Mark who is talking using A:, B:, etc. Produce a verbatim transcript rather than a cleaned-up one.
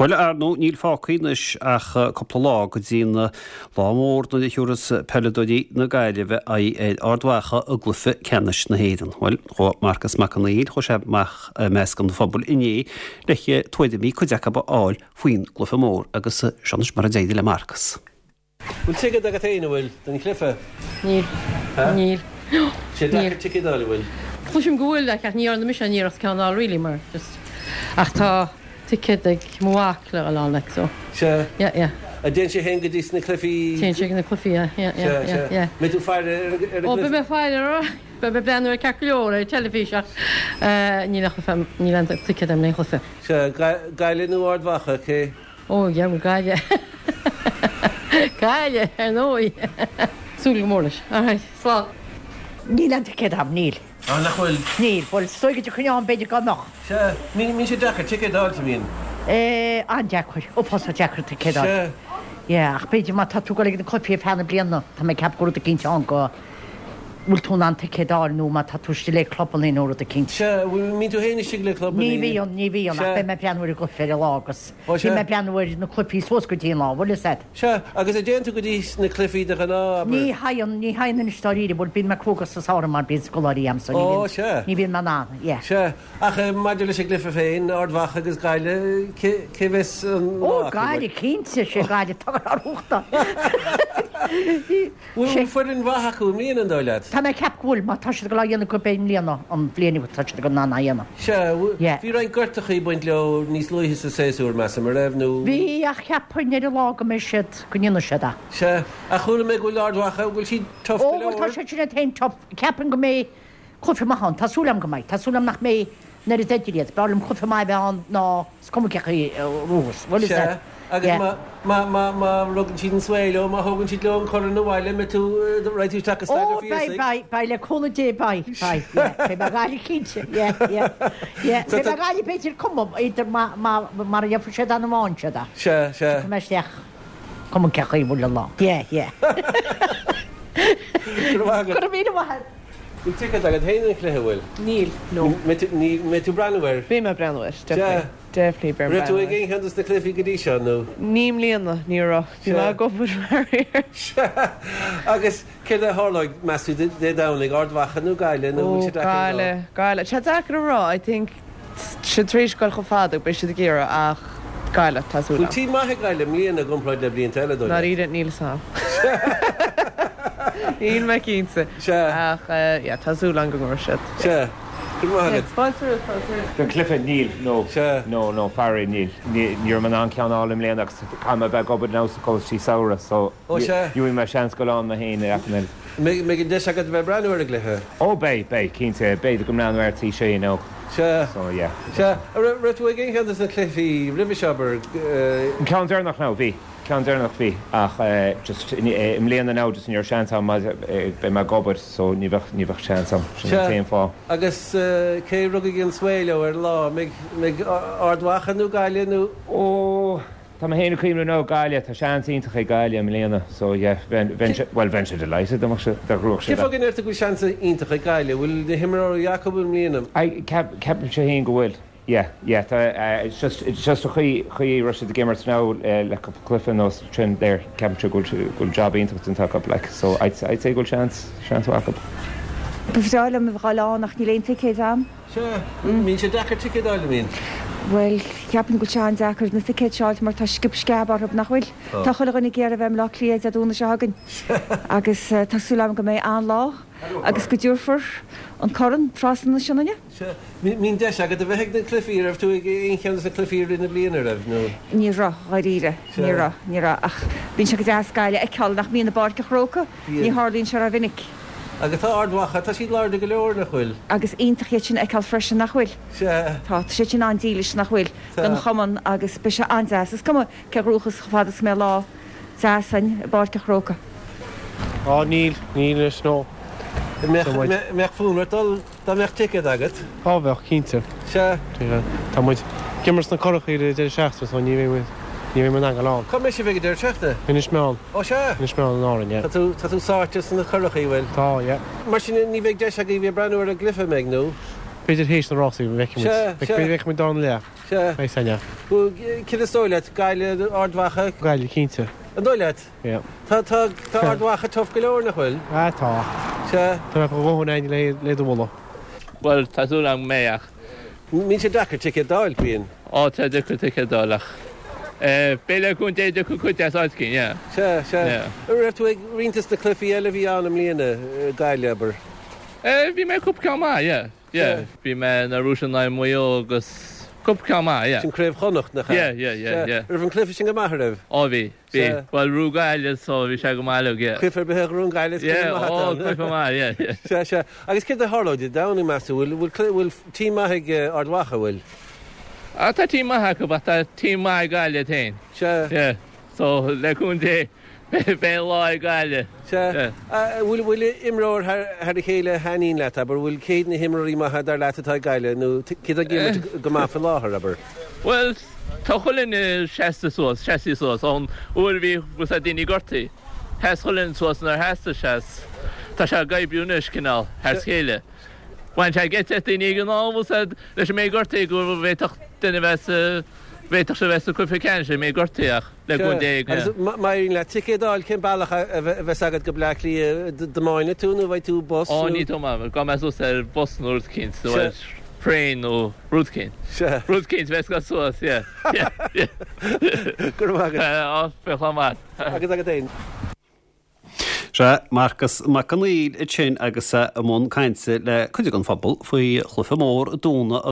A: Bhuel, ar ndóigh, níl fágtha anois ach cúpla lá go dtí an lá mór nuair a thiúrfas peileadóirí na Gaillimhe aghaidh ar Ard Mhacha i gcluiche ceannais na hÉireann. Bhuel, chuaigh Marcas Mac Conghail, chuaigh sé amach i measc an phobail inné le tuairimí cuid acu a fháil faoin gcluiche mór agus seo anois mar a d'éirigh le Marcas.
B: Bhfuil ticéad agat féin, an bhfuil, don chluiche?
C: Níl. Níl.
B: Sé deacair ticéad a fháil, an bhfuil?
C: Cloisim go bhfuil, ach ní dhearna mise aon iarracht ceann a fháil really mar just ach tá ticéad ag mo mhac le dhul ann like so.
B: Sea.
C: Yeah, yeah.
B: An dtéann sé féin go dtí sna cluichí?
C: Téann sé ag na cluichí, yeah, yeah, yeah, yeah, yeah.
B: Mbeidh tú ag faire ar an gcluiche?
C: Ó, beidh mé ag faire air, beidh mé ag breathnú air ceart go leor ar an teilifís ach níl aon chluiche, níl aon ticéad agam le haon chluiche.
B: Sea, Gaillimh nó Ard Mhacha, cé?
C: Ó, yeah, bhuel Gaillimh. Gaillimh, ar ndóigh. Súil go mór leis. All right, slán.
D: Níl aon ticéad agam, níl.
B: Ah, nach bhfuil?
D: Níl, bhuel, is dóigh go dtiocfainn ann b'fhéidir go mbeadh.
B: Sea, mbíonn sé deacair ticéad a fháil, an mbíonn?
D: Eh, an-deacair, uafásach deacair ticéad a fháil.
B: Sea.
D: Yeah, ach b'fhéidir má tá tú ag dul ag na cluichí ar feadh na bliana, tá mé ag ceapadh go bhfuil rud eicínt ann go bhfuil tú in ann ticéad a fháil nó má tá tú istigh le clubanna nó rud eicínt.
B: Sea, mbíonn tú féin istigh le clubanna?
D: Ní bhíonn, ní bhíonn, ach beidh mé ag breathnú ar an gcluiche ar an lá agus
B: Ó, sea.
D: bhí mé ag breathnú ar na cluichí suas go dtí an lá, bhfuil fhios a'd.
B: Sea, agus an dtéann tú go dtí na cluichí de ghnáth, abair?
D: Ní théann, ní théann anois dáiríre, bhuel bíonn mé cúngach sa samhradh mar bíonn scoláirí a'm so ní
B: Ó,
D: bhíonn,
B: sea.
D: ní bhíonn mé in ann, yeah.
B: Sea, ach maidir leis an gcluiche féin, Ard Mhacha agus Gaillimh, cé, cé bheas an
D: Ó,
B: lá acu, bhuel?
D: Gaillimh, cinnte, sé Gaillimh atá ar uachtar.
B: Bhfuil foireann mhaith acu i mbliana, an dóigh leat?
D: Tá mé ag ceapadh go bhfuil, má tá siad ag dul á dhéanamh gurb é i mbliana an bhliain atá siad ag dul in ann á dhéanamh.
B: Sea,
D: Yeah.
B: bhí roinnt gortachaí ag baint leo níos luaithe sa séasúr, measaim, an raibh, nó?
D: Bhí, ach cheapfainn ar an lá go mbeidh siad, go ndéanfaidh siad é.
B: Sea, ach chuala mé go bhfuil Ard Mhacha, go bhfuil siad tough
D: Ó,
B: go
D: bhuel tá
B: leor.
D: siad sin iad féin tough, ceapaim go mbeidh cluiche maith ann, tá súil agam go mbeidh, tá súil agam nach mbeidh an oiread idir iad, b'fhearr liom cluiche maith a bheith ann ná is cuma cé chaoi a bhuafas, bhfuil fhios
B: Sea,
D: a'd?
B: agus
D: Yeah.
B: má, má, má, má rugann siad an svae leo, má thógann siad leo an corn abhaile, mbeidh tú, raghaidh tú isteach go
D: Ó,
B: Staid an
D: beidh,
B: Phiarsaigh?
D: beidh, beidh, le cúnamh Dé, beidh, beidh, yeah, beidh mé ag Gaillimh cinnte, yeah, yeah, yeah,
B: So
D: beidh mé
B: tá-
D: ag Gaillimh b'fhéidir cuma, idir má, má, mar a dhéanfaidh siad an amháin siad é.
B: Sea, sea.
D: Tiocfaidh mé isteach, cuma cé chaoi a bhfuil an lá. Yeah, yeah.
B: Go raibh maith agat.
D: Go raibh míle maith agat.
B: Bhfuil ticéad agat féin don chluiche, bhfuil?
E: Níl, no.
B: Mbeidh tú, ní, mbeidh tú ag breathnú air?
E: Beidh mé ag breathnú air, definitely. Definitely beidh mé
B: Raibh tú
E: breathnú
B: ag
E: air.
B: aon cheann dos na cluichí go dtí seo, nó?
E: Ní i mbliana, ní raibh. Bhí mé ag obair faraor.
B: Sea, agus céard a tharlóidh, meas tú, Dé Domhnaigh, Ard Mhacha nó Gaillimh, nó
E: Ó,
B: bhfuil sé deacair a rá?
E: Gaillimh, Gaillimh. Tá sé deacair a rá, I think siad tar éis dul chomh fada, beidh siad ag iarraidh ach Gaillimh, tá súil
B: Bhfuil
E: agam.
B: team maith ag Gaillimh i mbliana i gcomparáid le blianta eile, dóigh leat?
E: Dáiríre, níl fhios a'm. Níl mé cinnte.
B: Sea.
E: Ach, yeah, tá súil agam go ngnóthóidh siad.
B: Sea. Go raibh maith agat.
E: Fáilte romhat, fáilte romhat.
F: Don chluiche, níl, no.
B: Sea.
F: No, no, faraor, níl. Ní raibh mé in ann ceann a fháil i mbliana agus caithfidh mé a bheith ag obair now sa choláiste samhraidh so
B: Ó, sea.
F: ní bhfaighidh mé seans dul ann mé féin ar aon nós.
B: Mbeidh mbeidh an deis agat a bheith ag breathnú ar an gcluiche?
F: Ó, beidh, beidh, cinnte. B'fhéidir go mbreathnú ar tí sé, you know.
B: Sea.
F: So, yeah.
B: Sea. Raibh raibh tú ag aon cheann dos na cluichí roimhe seo, abair?
F: An ceann deireanach now, bhí. Ceann deireanach bhí, ach just i mbliana now just ní raibh seans agam beidh mé ag obair so ní bheadh ní bheadh seans agam, sin an t-aon fáth.
B: Agus cé rugfaidh an svae leo ar an lá? Mbeidh mbeidh Ard Mhacha nó Gaillimh nó?
F: Ó, tá mé féin ag cuimhneamh now Gaillimh, tá seans iontach ag Gaillimh i mbliana so yeah, bheinn bheinn bhuel bheinn sé delighted dá mbeadh sé dá ghnóthódh
B: Cén
F: siad
B: fáth go ndeir tú go bhfuil seans iontach ag Gaillimh? Bhfuil na himreoirí acu i mbliana?
F: I ceap ceapaimse féin go bhfuil. Yeah, yeah, tá, it's just, it's just an chaoi, chaoi a raibh siad ag imirt now le cúpla cluiche anuas sin there, ceapaimse go bhfuil, go bhfuil job iontach déanta acu, like, so I'd, I'd say go bhfuil seans, seans mhaith acu.
G: Ba bhreá liom a bheith ann ach níl aon ticéad agam.
B: Sea, mbíonn sé deacair ticéad a fháil, an mbíonn?
G: Bhuel, ceapaim go bhfuil sé an-deacair na ticéid seo a fháilt mar tá sciob sceab orthu, nach bhfuil? Tá chuile dhuine ag iarraidh a bheith i mBleá Cliath Dé Domhnaigh seo chugainn agus tá súil agam go mbeidh an-lá agus go dtabharfar an corn trasna na Sionainne.
B: Sea, mbíonn deis agat a bheith ag na cluichí, raibh tú ag aon cheann de na cluichí i rith na bliana, raibh, nó?
G: Ní raibh, dháiríre, ní raibh, ní raibh, ach bíonn sé go deas Gaillimh a fheiceáil nach mbíonn i bPáirc an Chrócaigh, ní tharlaíonn sé rómhinic.
B: Agus tá Ard Mhacha, tá siad láidir go leor, nach bhfuil?
G: Agus iontach iad sin a fheiceáil freisin, nach bhfuil?
B: Sea.
G: Tá, tá siad sin an-dílis, nach bhfuil, don chumann agus beidh sé an-deas. Is cuma cé a ghnóthós chomh fada is go mbeidh lá deas ann i bPáirc an Chrócaigh.
H: Á, níl, níl anois, no.
B: Mbeadh fonn ort dul dá mbeadh ticéad agat?
H: Á bheadh, cinnte.
B: Sea.
H: Tá muid ag imirt sna Curachaí ar an deireadh seachtaine so ní bheidh muid, ní bheidh muid in ann dul ann.
B: Cá mbeidh sibh ag an deireadh seachtaine?
H: Inis Meáin.
B: Ó sea.
H: Inis Meáin in Árainn, yeah.
B: Tá tú, tá tú sáite sna Curachaí, bhfuil?
H: Tá, yeah.
B: Mar sin ní bheidh deis agaibh bheith ag breathnú ar an gcluiche, an mbeidh, nó?
H: B'fhéidir théis na rásaí, feicfidh muid.
B: Sea, sea.
H: Feicfidh muid dár leath.
B: Sea. Sea.
H: Beidh san, yeah.
B: Céard is dóigh leat, Gaillimh, Ard Mhacha?
H: Gaillimh, cinnte.
B: An dóigh leat?
H: Yeah.
B: Tá tá tá Ard Mhacha tough go leor, nach bhfuil?
H: Ah, tá.
B: Sea.
H: Tá mé go dhóthain ainn le le do mholadh.
I: Bhuel, tá súil agam go mbeidh ach.
B: Bíonn sé deacair ticéad d'fháil, bíonn.
I: Ó, tá deacair ticéad d'fháil ach beidh le cúnamh Dé dtiocfaidh cuid as áit éigin, yeah.
B: Sea, sea.
I: Yeah.
B: An raibh tú ag roinnt des na cluichí eile a bhí ann i mbliana, Gaillimh, abair?
I: Eh, bhí mé cúpla ceann maith, yeah. Yeah. Bhí mé na Rúis in aghaidh Maigh Eo agus cúpla ceann maith, yeah.
B: Sin Craobh Chonnacht, nach ea?
I: Yeah, yeah, yeah, yeah.
B: Raibh an cluiche sin go maith, raibh?
I: Ó, bhí, bhí.
B: Sea.
I: Bhuel, bhuaigh Gaillimh so bhí sé go maith uilig, yeah.
B: Cluiche ar bith a ghnóthaíonn Gaillimh, is cluiche
I: Yeah,
B: maith
I: ó,
B: atá ann.
I: cluiche maith, yeah, yeah.
B: Sea, sea. Agus céard a tharlóidh Dé Domhnaigh, meas tú? Bhfuil, bhfuil, bhfuil team maith ag Ard Mhacha, bhfuil?
I: Ah, tá team maith acu, ach tá team maith ag Gaillimh féin.
B: Sea.
I: Yeah. So, le cúnamh Dé, beidh an lá ag Gaillimh.
B: Sea.
I: Yeah.
B: Bhfuil, bhfuil imreoir thar, thar a chéile a thaitníonn leat, abair? Bhfuil cé hiad na himreoirí maithe dar leat atá ag Gaillimh, nó cé atá ag imirt go maith faoi láthair, abair?
I: Bhuel, tá chuile dhuine seasta suas, seasta suas, ón uair a bhí bhfuil a fhios daoine gortaithe. Sheas chuile dhuine suas nuair theastaigh sé. Tá sé ag oibriú anois, cineál, thar a chéile. Bhain sé geit as daoine ag an am, bhfuil a fhios agat, leis an méid gortaithe go bhféadfadh duine bheith sa, bhféadfadh sé bheith sa cluiche ceannais, an méid gortaithe ach le cúnamh Dé,
B: Agus
I: yeah.
B: má éiríonn leat ticéad a fháil, cén bealach a bheas agat go Bleá Cliath? Dtiomáinfidh tú nó bhfaighidh tú bus
I: Ó,
B: nó?
I: ní tiomáinfidh, gabhfaidh mé suas ar bus nó rud eicínt, nó
B: Sea.
I: ar thraein nó rud eicínt.
B: Sea.
I: Rud eicínt bheas ag dul suas, yeah, yeah, yeah.
B: Go raibh maith agat.
I: Á, bheadh lá maith.
B: Agus agat féin.
A: Sea, Marcas Mac Conghail ansin agus é i mbun cainte le cuid den phobal faoi chluiche mór Dé Domhnaigh